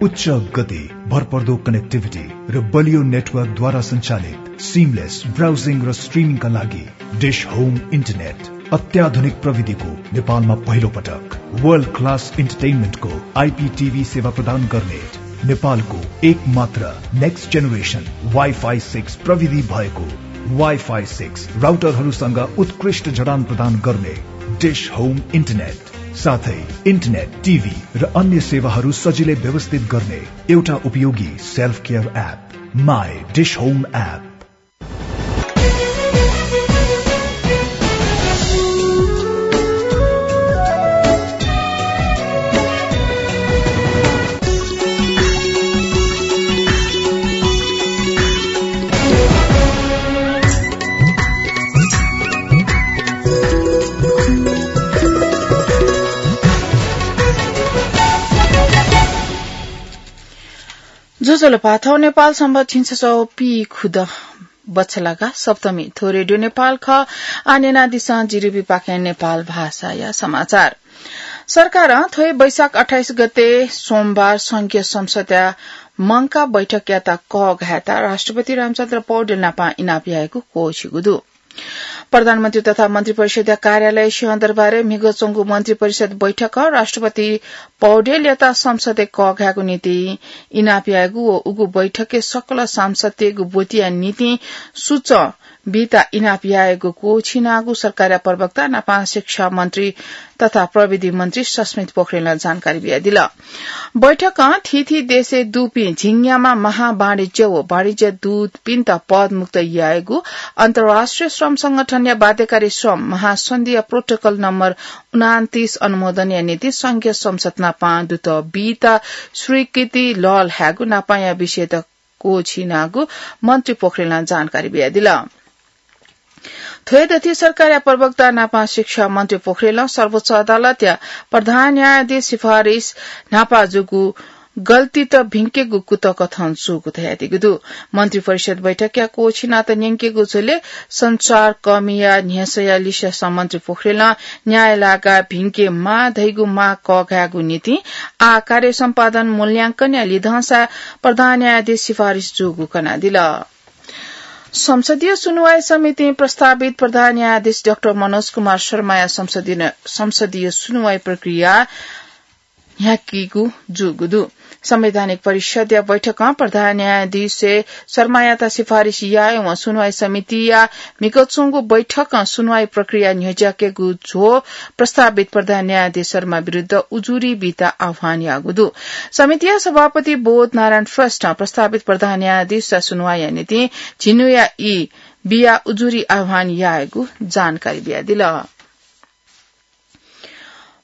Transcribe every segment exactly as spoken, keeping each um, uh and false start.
उच्च गति, भरपर्दो connectivity र बलियो network द्वारा सञ्चालित seamless browsing र streaming का लागि Dish Home Internet। अत्याधुनिक प्रविधिको नेपालमा पहिलो पटक world class entertainment को I P T V सेवा प्रदान गर्ने नेपालको एकमात्र next generation Wi-Fi six प्रविधि भएको Wi-Fi six राउटरहरूसँग उत्कृष्ट जडान प्रदान गर्ने Dish Home Internet। साथै internet, T V र अन्य सेवाहरू सजिलै व्यवस्थित गर्ने एउटा उपयोगी self care app, My Dish Home app। ज्वजलपा, थौं नेपाल संवत् झिंछसः पीखुदँ बछलागा सप्तमी। थ्व रेडियो नेपाल खः। आः न्यनादिसँ जिरिबी पाखें नेपाल भाषाया समाचार। सरकारं थ्व हे वैशाख अट्ठाइस गते सोमबार संघीय संसदया मंकाः बैठकयात कःघायेत राष्ट्रपति रामचन्द्र पौडेल नाप इनाप यायेगु क्वःछिगु दु। प्रधानमन्त्री तथा मन्त्रिपरिषदया कार्यालय सिंहदरबारय् म्हिगः च्वंगु मन्त्रिपरिषद बैठकं राष्ट्रपति पौडेलयात संसदय् कःघायेगु निंतिं इनाप यायेगु व उगु बैठकय् सकल सांसदतय्गु ब्वतिया निंतिं सुचं बीत इनाप यायेगु क्वःछिनागु सरकारया प्रवक्ता नापं शिक्षा मन्त्री तथा प्रविधि मन्त्री सस्मित पोखरेलं जानकारी बियादिल। बैठकं थीथी देशय् दुपिं झिंन्याम्ह महावाणिज्य व वाणिज्य दूतपिन्त पदमुक्त यायेगु, अन्तर्राष्ट्रिय श्रम संगठनया बाध्यकारी श्रम महासन्धिया protocol नम्बर उनान्तीस अनुमोदनया निंतिं संघीय संसद नापं दुत बीत स्वीकृति लःल्हायेगु नापंया विषयत क्वःछिनागु मन्त्री पोखरेलं जानकारी बियादिल। थ्व हे दथुइ सरकारया प्रवक्ता नापं शिक्षा मन्त्री पोखरेलं सर्वोच्च अदालतया प्रधान न्यायाधीश सिफारिस न्हापा जूगु गल्तीत भिंकेगु कुतः कथं जूगु धयादीगु दु। मन्त्रिपरिषद बैठकया क्वःछिनात न्यंकेगु झ्वलय् सञ्चारकर्मीया न्ह्यसःया लिसें मन्त्री पोखरेलं न्यायलागा भिंकेमाः धइगु माग कःघायेगु निंतिं आः कार्य सम्पादन मूल्यांकनया लिधंसा प्रधान न्यायाधीश सिफारिस जूगु कनादिल। संसदीय सुनुवाई समितिं प्रस्तावित प्रधान न्यायाधीश डाक्टर मनोज कुमार शर्माया संसदीय, संसदीय सुनुवाई प्रक्रिया न्ह्याकीगु जूगु दु। संवैधानिक परिषदया बैठकं प्रधान न्यायाधीश शर्मायात सिफारिस यायेवं सुनुवाई समितिया म्हिगः च्वंगु बैठकं सुनुवाई प्रक्रिया न्ह्यज्याकेगु झ्वः प्रस्तावित प्रधान न्यायाधीश शर्मा विरुद्ध उजुरी बीत आह्वान याःगु दु। समितिया सभापति बोध नारायण श्रेष्ठं प्रस्तावित प्रधान न्यायाधीशया सुनुवाईया निंतिं झिंन्हुया ई बियाः उजुरी आह्वान याःगु जानकारी बियादिल।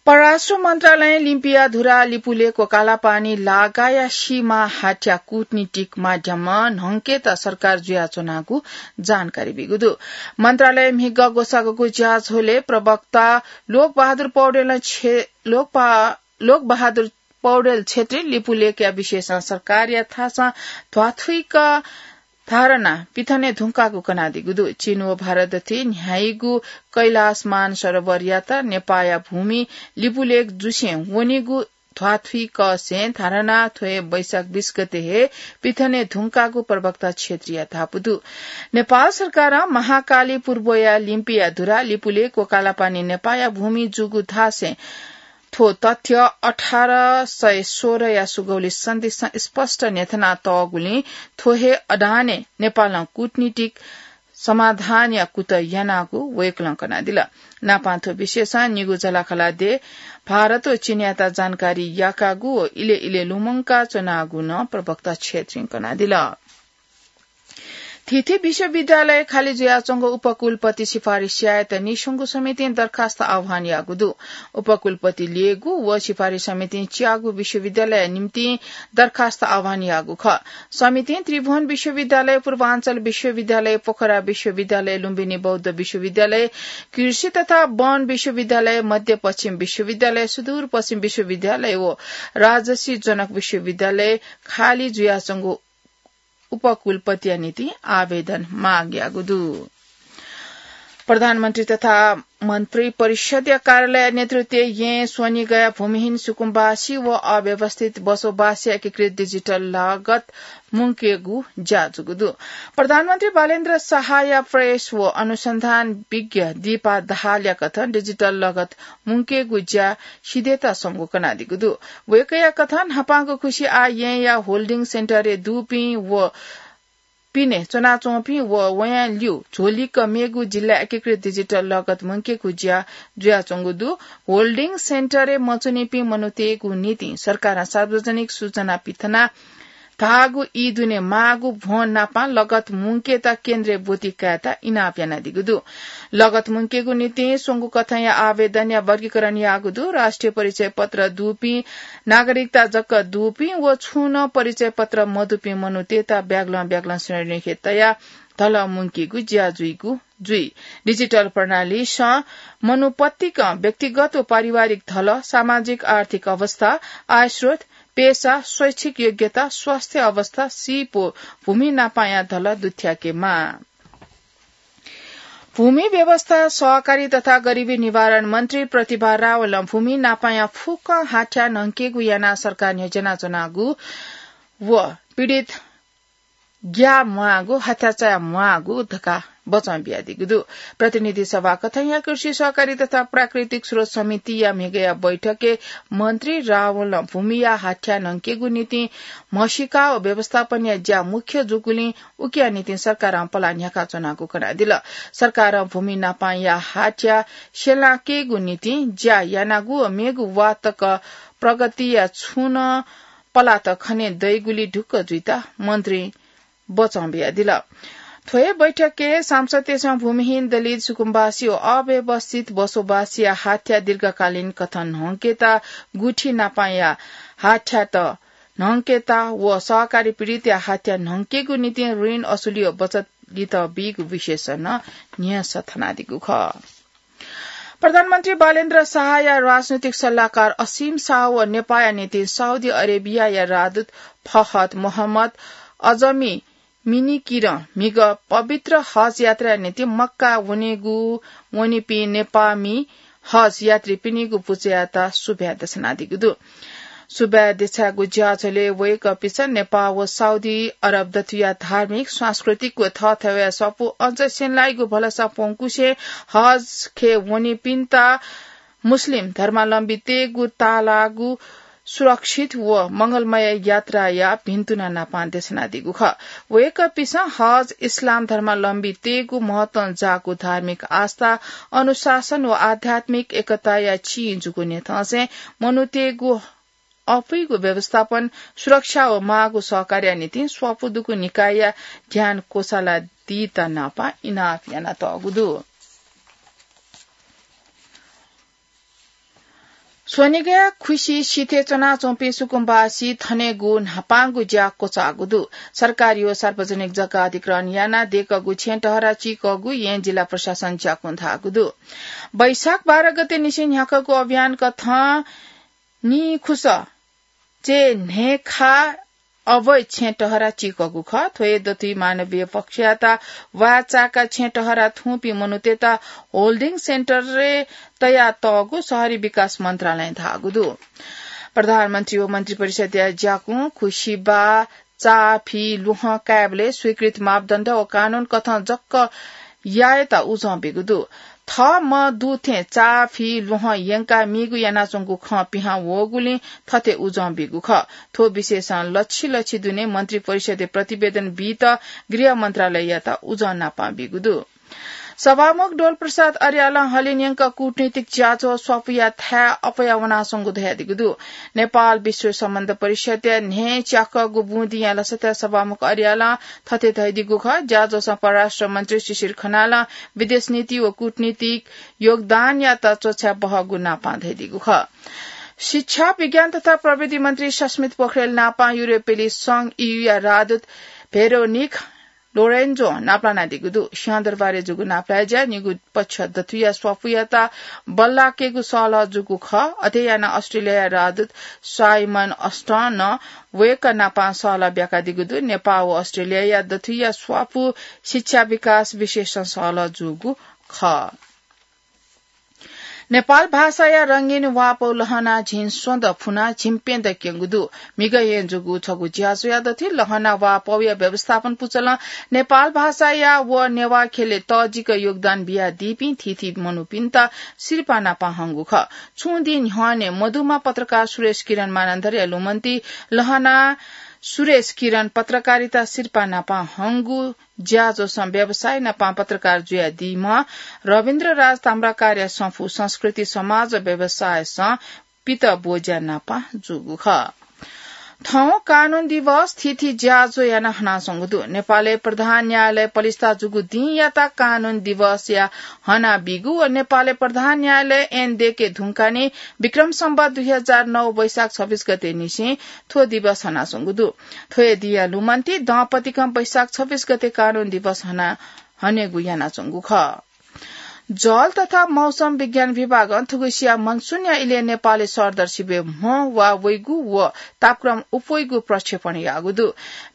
परराष्ट्र मन्त्रालयं लिम्पिया धुरा, लिपुलेक व कालापानी लागाया सीमा हाथ्या कूटनीतिक माध्यमं न्हंकेत सरकार जुयाच्वनागु जानकारी बीगु दु। मन्त्रालयं म्हिगः ग्वसाःगु ज्याझ्वलय् प्रवक्ता लोकबहादुर पौडेलं छे-, लोकपा-, लोकबहादुर पौडेल छेत्रीं लिपुलेकया विषयसं सरकारया थासं ध्वाथुइक धारणा पिथने धुंकाःगु कनादीगु दु। चीन व भारत दथुइ न्ह्याइगु कैलाश मानसरोवरयात नेपाःया भूमि लिपुलेक जुसें वनीगु ध्वाथुइकसें धारणा थ्व हे वैशाख बीस गते हे पिथने धुंकाःगु प्रवक्ता छेत्रीया धापू दु। नेपाल सरकारं महाकाली पूर्वया लिम्पिया धुरा, लिपुलेक व कालापानी नेपाःया भूमि जूगु धासें थ्व तथ्य अठार सय सोह्रया सुगौली सन्धिसं स्पष्ट न्ह्यथनातःगुलिं थ्व हे अडानय् नेपालं कूटनीतिक समाधानया कुतः यानागु वय्कलं कनादिल। नापं थ्व विषयसं निगू जलाखला देय् भारत व चीनयात जानकारी याकागु व इलय् इलय् लुमंका च्वनागु नं प्रवक्ता छेत्रीं कनादिल। थीथी विश्वविद्यालय खाली जुयाच्वंगु उपकुलपति सिफारिस यायेत नीस्वंगू समितिं दरखास्त आह्वान याःगु दु। उपकुलपति ल्ययेगु व सिफारिस समितिं च्याःगु विश्वविद्यालयया निंतिं दरखास्त आह्वान याःगु खः। समितिं त्रिभुवन विश्वविद्यालय, पूर्वाञ्चल विश्वविद्यालय, पोखरा विश्वविद्यालय, लुम्बिनी बौद्ध विश्वविद्यालय, कृषि तथा वन विश्वविद्यालय, मध्यपश्चिम विश्वविद्यालय, सुदूरपश्चिम विश्वविद्यालय व राजर्षि जनक विश्वविद्यालय खाली जुयाच्वंगु उपकुलपतिया निंतिं आवेदन माग याःगु दु। प्रधानमन्त्री तथा मन्त्री परिषदया कार्यालय नेतृत्वय् यें स्वनिगया भूमिहीन सुकुम्बासी व अव्यवस्थित बसोबासी एकीकृत डिजिटल लगत मुंकेगु ज्या जूगु दु। प्रधानमन्त्री बालेन्द्र शाहया प्रेस व अनुसन्धान विज्ञ दीपा दाहालया कथं डिजिटल लगत मुंकेगु ज्या सिधयेत स्वंगु कनादीगु दु। वय्कःया कथं न्हापांगु खुसि आः येँया होल्डिङ सेन्टरय् दुपिं व पिने च्वनाच्वंपिं व वयां ल्यू झ्वलिक मेगु जिल्ला एकीकृत डिजिटल लगत मुंकेगु ज्या जुयाच्वंगु दु। होल्डिङ सेन्टरय् मच्वनीपिं मनूतय्गु निंतिं सरकारं सार्वजनिक सूचना पिथना धाःगु ई दुने माःगु भ्वं नापं लगत मुंकेत केन्द्रय् ब्वति कायेत इनाप यानादीगु दु। लगत मुंकेगु निंतिं स्वंगु कथंया आवेदनया वर्गीकरण याःगु दु। राष्ट्रिय परिचय पत्र दुपिं, नागरिकता जक दुपिं व छुं नं परिचय पत्र मदुपिं मनूतय्त ब्यागलं ब्यागलं श्रेणीखे तयाः धलः मुंकेगु ज्या जुइगु जुइ। डिजिटल प्रणालीसं मनू पतिकं व्यक्तिगत व पारिवारिक धलः, सामाजिक आर्थिक अवस्था, आयस्रोत, पेशा, शैक्षिक योग्यता, स्वास्थ्य अवस्था, सीप व भूमि नापांया धलः दुथ्याकेमाः। भूमि व्यवस्था, सहकारी तथा गरिबी निवारण मन्त्री प्रतिभा रावलं भूमि नापांया फुक्क हाथ्या न्हंकेगु यानाः सरकारं न्ह्यज्यानाच्वनागु व पीडित ग्याः म्वाःगु, हाथ्या चाया म्वाःगु धकाः बचं बियादीगु दु। प्रतिनिधि सभा कथंया कृषि सहकारी तथा प्राकृतिक स्रोत समितिया म्हिगःया बैठकय् मन्त्री रावलं भूमिया हाथ्या न्हंकेगु निंतिं म्हसीका व व्यवस्थापनया ज्या मुख्य जूगुलिं उकिया निंतिं सरकारं पलाः न्ह्याकाच्वनागु कनादिल। सरकारं भूमि नापांया हाथ्या स्यलाकेगु निंतिं ज्या यानागु व मेगु वा तक प्रगतिया छुं नं पलात खने दइगुली ढुक्क जुइत मन्त्री बचं बियादिल। थ्व हे बैठकय् सांसदतय्सं भूमिहीन दलित सुकुम्बासी व अव्यवस्थित बसोबासीया हाथ्या दीर्घकालीन कथं न्हंकेत गुठी नापांया हाथ्यात न्हंकेत व सहकारी पीडितया हाथ्या न्हंकेगु निंतिं ऋण असुली व बचत लित बीगु विषयस नं न्ह्यसः थनादीगु खः। प्रधानमन्त्री बालेन्द्र शाहया राजनैतिक सल्लाहकार असीम शाह व नेपाःया निंतिं साउदी अरेबियाया राजदूत फहद मोहम्मद अजमी मिनिकिरं म्हिगः पवित्र हज यात्राया निंतिं मक्का वनेगु वनीपिं नेपाःमि हज यात्रीपिनिगु पुचःयात सुभाय् देछानादीगु दु। सुभाय् देछायेगु ज्याझ्वलय् वय्कःपिन्सं नेपाः व साउदी अरब दथुइया धार्मिक, सांस्कृतिक व थःथवय् स्वापू अझ स्यनेलाइगु भलसा प्वंकुसें हज खँय् वनीपिन्त मुस्लिम धर्मावलम्बीतय्गु ताःलाःगु सुरक्षित व मंगलमय यात्राया भिन्तुना नापं देछानादीगु खः। वय्कःपिन्सं हज इस्लाम धर्मावलम्बीतय्गु महत्वं जाःगु धार्मिक आस्था, अनुशासन व आध्यात्मिक एकताया चिं जूगु न्ह्यथंसें मनूतय्गु अपुइगु व्यवस्थापन, सुरक्षा व माःगु सहकार्यया निंतिं स्वापू दुगु निकायया ध्यान क्वचाला दीत नापं इनाप यानातःगु दु। स्वनिगया खुसि सिथय् च्वनाच्वंपिं सुकुम्बासी थनेगु न्हापांगु ज्या क्वचाःगु दु। सरकारी व सार्वजनिक जग्गा अधिग्रहण यानाः दय्कःगु छेँय् टहरा चिकःगु येँ जिल्ला प्रशासन ज्याकुं धाःगु दु। वैशाख बाह्र गते निसें न्ह्याकःगु अभियान कथं निखुस चय् न्हय्खा अवैध छेँ टहरा चिकःगु खः। थ्व हे दथुइ मानवीय पक्षयात वाःचाका छेँ टहरा थूपिं मनूतय्त होल्डिङ सेन्टरय् तयातःगु शहरी विकास मन्त्रालयं धाःगु दु। प्रधानमन्त्री व मन्त्री परिषदया ज्याकुं खुसिबा, चा, फि, ल्वहं कायेबलय् स्वीकृत मापदण्ड व कानून कथं जक यायेत उजं बीगु दु। थः मदु थें चा, फि, ल्वहं यंकाः मीगु यानाच्वंगु खँ पिहां वःगुलिं थथे उजं बीगु खः। थ्व विषयसं लछि लछि दुने मन्त्री परिषदय् प्रतिवेदन बीत गृह मन्त्रालययात उजं नापं बीगु दु। सभामुख डोलप्रसाद अर्यालं हलिं यंक कूटनीतिक ज्याझ्वः स्वापूया थाय् अप्वया वनाच्वंगु धयादीगु दु। नेपाल विश्व सम्बन्ध परिषदया न्हय्च्याकःगु बुँदिया लसताय् सभामुख अर्यालं थथे धयादीगु खः। ज्याझ्वलय् परराष्ट्र मन्त्री शिशिर खनालं विदेश नीति व कूटनीतिक योगदानयात च्वछाये बहःगु नापं धयादीगु खः। शिक्षा, विज्ञान तथा प्रविधि मन्त्री सस्मित पोखरेल नापं युरोपेली संघ ईयूया राजदूत भेरोनिक लोरेन्जों नापलानादीगु दु। सिंहदरबारय् जूगु नापलाये ज्याय् निगू पक्ष दथुइया स्वापूयात बल्लाकेगु सहलह जूगु खः। अथे यानाः अस्ट्रेलियाया राजदूत साइमन अस्टनं वय्कः नापं सहलह ब्याकादीगु दु। नेपाः व अस्ट्रेलियाया दथुइया स्वापू शिक्षा विकास विषयसं सहलह जूगु खः। नेपाल भाषाया रंगीन वापौ लहना झिंस्वदँ फुना झिंप्यदँ क्यंगु दु। म्हिगः येँ जूगु छगू ज्याझ्वःया दथुइ लहना वापौया व्यवस्थापन पुचलं नेपाल भाषाया व नेवाः ख्यलय् तःजिक योगदान बियादीपिं थीथी मनूपिन्त सिरपाः नापं हंगु खः। छुं दिं न्ह्यःने मदुम्ह पत्रकार सुरेश किरण मानन्धरया लुमन्ति लहना सुरेश किरण पत्रकारिता सिरपाः नापं हंगु ज्याझ्वलं व्यवसाय नापं पत्रकार जुयादीम्ह रविन्द्र राज ताम्राकारया संफू संस्कृति समाज व्यवसायसं पित ब्वज्या नापं जूगु खः। थौं कानून दिवस थीथी ज्याझ्वः यानाः हनाच्वंगु दु। नेपालय् प्रधान न्यायालय पलिस्था जूगु दिंयात कानून दिवसया हनाबीगु व नेपालय् प्रधान न्यायालय ऐन दय्के धुंकाः नं विक्रम सम्वत दुई हजार नौ वैशाख छब्बीस गते निसें थ्व दिवस हनाच्वंगु दु। थ्व हे दिंया लुमन्ति दंपतिकं वैशाख छब्बीस गते कानून दिवस हना हनेगु यानाच्वंगु खः। जल तथा मौसम विज्ञान विभागं थुगुसिया मनसुनया इलय् नेपालय् सरदर सिबय् म्ह वा वइगु व तापक्रम उप्वइगु प्रक्षेपण याःगु दु।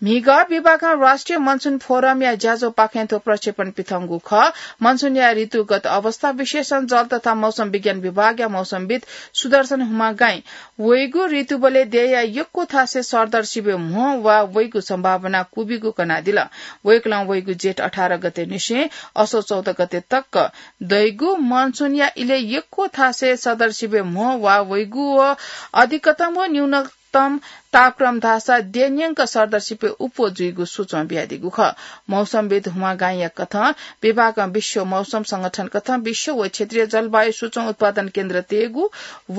म्हिगः विभागं राष्ट्रिय मनसुन फोरमया ज्याझ्वःपाखें थ्व प्रक्षेपण पिथंगु खः। मनसुनया ऋतुगत अवस्था विशेषं जल तथा मौसम विज्ञान विभागया मौसमविद् सुदर्शन हुमागाईं वइगु ऋतुबलय् देय्‌या यक्व थासय् सरदर सिबय् म्ह वा वइगु सम्भावना क्वबिगु कनादिल। वय्‌कलं वइगु जेठ अठार गते निसें असो चौध गते तक दइगु मनसुनया इलय् यक्व थासय् सरदर सिबय् म्ह वा वइगु व अधिकतम व न्यूनतम तापक्रम धाःसा देय्‌न्यंक सरदर सिबय् उप्वः जुइगु सूचं बियादीगु खः। मौसमविद् हुमागाईंया कथं विभागं विश्व मौसम संगठन कथं विश्व व क्षेत्रीय जलवायु सूचं उत्पादन केन्द्र तयेगु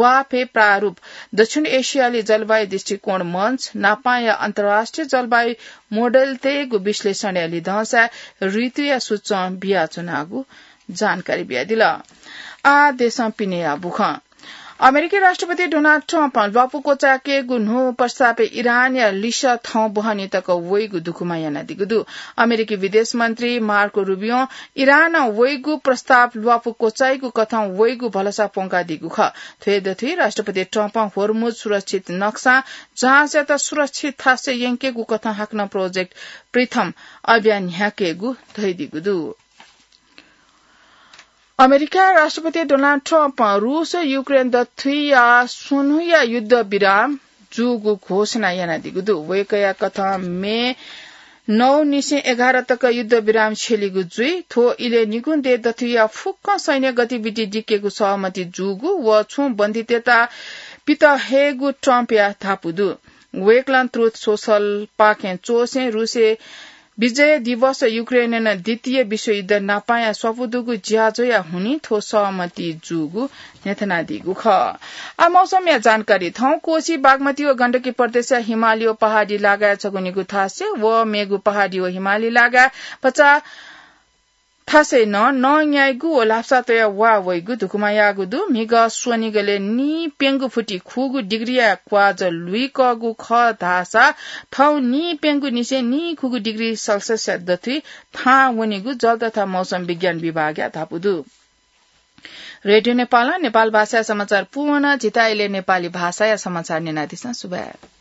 वाफय् प्रारूप दक्षिण एसियाली जलवायु दृष्टिकोण मञ्च नापांया अन्तर्राष्ट्रिय जलवायु मोडेल तयेगु विश्लेषणया लिधंसाय् ऋतुया सूचं बियाच्वनागु जानकारी बियादिल। आः देशं पिनेया बुखँ। अमेरिकी राष्ट्रपति डोनाल्ड ट्रम्पं ल्वापु क्वचायेकेगु न्हू प्रस्तावय् इरानया लिसः थौं बहनी तक वइगु दुगुमा यानादीगु दु। अमेरिकी विदेश मन्त्री मार्को रुबियों इरानं वइगु प्रस्ताव ल्वापु क्वचाइगु कथं वइगु भलसा प्वंकादीगु खः। थ्व हे दथुइ राष्ट्रपति ट्रम्पं होर्मुज सुरक्षित नक्सां जहाजयात सुरक्षित थासय् यंकेगु कथं हाकनं प्रोजेक्ट प्रिथम अभियान न्ह्याकेगु धयादीगु दु। अमेरिका राष्ट्रपति डोनाल्ड ट्रम्पं रूस युक्रेन दथुइया स्वन्हुया युद्ध विराम जूगु घोषणा यानादीगु दु। वय्‌कःया कथं मे नौ निसें एघार तक युद्ध विराम छ्यलीगु जुइ। थ्व इलय् निगुं देय् दथुइया फुक्क सैन्य गतिविधि दिकेगु सहमति जूगु व छुं बन्दीतय्‌त पित हयेगु ट्रम्पया धापू दु। वय्‌कलं ट्रुथ सोशलपाखें च्वःसें रूसय् विजय दिवस युक्रेनय् द्वितीय विश्वयुद्ध नापांया स्वापू दुगु ज्याझ्वःया हुनिं थ्व सहमति जूगु न्ह्यथनादीगु खः। आ, मौसमया जानकारी। थौं कोशी, बागमती व गण्डकी प्रदेशया हिमाली व पहाडी लागाय् छगू निगू थासय् व मेगु पहाडी व हिमाली लागाय् भचा थासय् नं नं न्याइगु व लापसा तयाः वा वइगु धुकुमा याःगु दु। म्हिगः स्वनिगलय् नीप्यंगु फुति खुगू डिग्रीया क्वाजः लुइकःगु खः धाःसा थौं नीप्यंगु निसें नीखुगू डिग्री सेल्सियसया दथुइ थाहां वनीगु जल तथा मौसम विज्ञान विभागया धापू दु। रेडियो नेपालं नेपाल भाषाया समाचार पूवं। झीत इलय् नेपाली भाषाया समाचार न्यनादिसँ। सुभाय्।